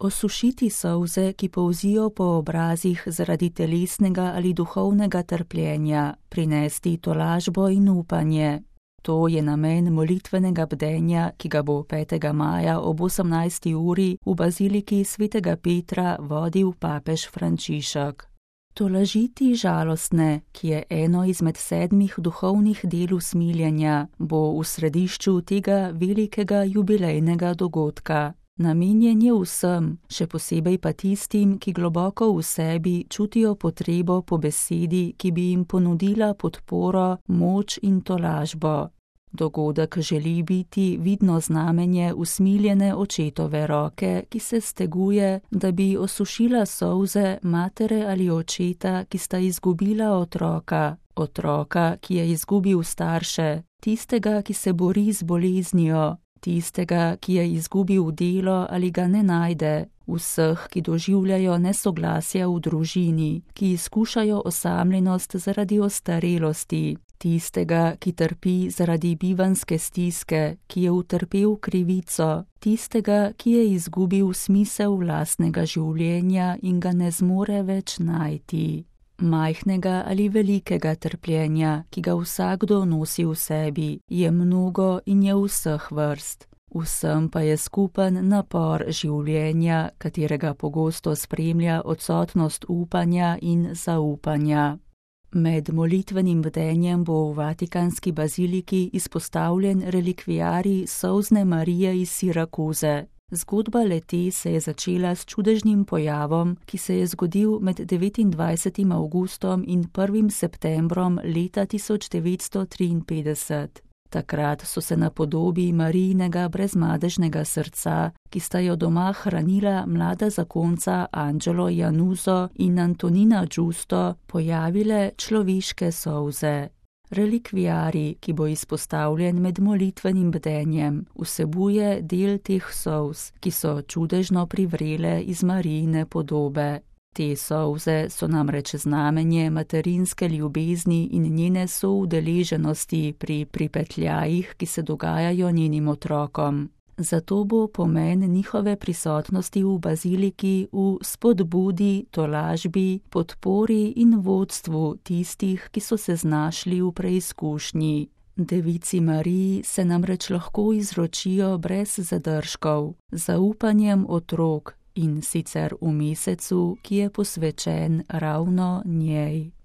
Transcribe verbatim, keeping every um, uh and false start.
Osušiti solze, ki polzijo po obrazih zaradi telesnega ali duhovnega trpljenja, prinesti tolažbo in upanje. To je namen molitvenega bdenja, ki ga bo petega maja ob osemnajsti uri v baziliki svetega Petra vodil papež Frančišek. Tolažiti žalostne, ki je eno izmed sedmih duhovnih del usmiljenja, bo v središču tega velikega jubilejnega dogodka. Namenjen je vsem, še posebej pa tistim, ki globoko v sebi čutijo potrebo po besedi, ki bi jim ponudila podporo, moč in tolažbo. Dogodek želi biti vidno znamenje usmiljene očetove roke, ki se steguje, da bi osušila solze matere ali očeta, ki sta izgubila otroka, otroka, ki je izgubil starše, tistega, ki se bori z boleznijo, tistega, ki je izgubil delo ali ga ne najde, vseh, ki doživljajo nesoglasja v družini, ki izkušajo osamljenost zaradi ostarelosti, tistega, ki trpi zaradi bivanjske stiske, ki je utrpel krivico, tistega, ki je izgubil smisel lastnega življenja in ga ne zmore več najti. Majhnega ali velikega trpljenja, ki ga vsakdo nosi v sebi, je mnogo in je vseh vrst. Vsem pa je skupen napor življenja, katerega pogosto spremlja odsotnost upanja in zaupanja. Med molitvenim bdenjem bo v Vatikanski baziliki izpostavljen relikviarij solzne Marije iz Sirakuze. Zgodba le-te se je začela s čudežnim pojavom, ki se je zgodil med devetindvajsetim avgustom in prvim septembrom leta tisoč devetsto triinpetdeset. Takrat so se na podobi Marijinega brezmadežnega srca, ki sta jo doma hranila mlada zakonca Angelo Januzo in Antonina Giusto, pojavile človeške solze. Relikviarij, ki bo izpostavljen med molitvenim bdenjem, vsebuje del teh solz, ki so čudežno privrele iz Marijine podobe. Te solze so namreč znamenje materinske ljubezni in njene soudeleženosti pri pripetljajih, ki se dogajajo njenim otrokom. Zato bo pomen njihove prisotnosti v baziliki v spodbudi, tolažbi, podpori in vodstvu tistih, ki so se znašli v preizkušnji. Devici Mariji se namreč lahko izročijo brez zadržkov, z zaupanjem otrok, in sicer v mesecu, ki je posvečen ravno njej.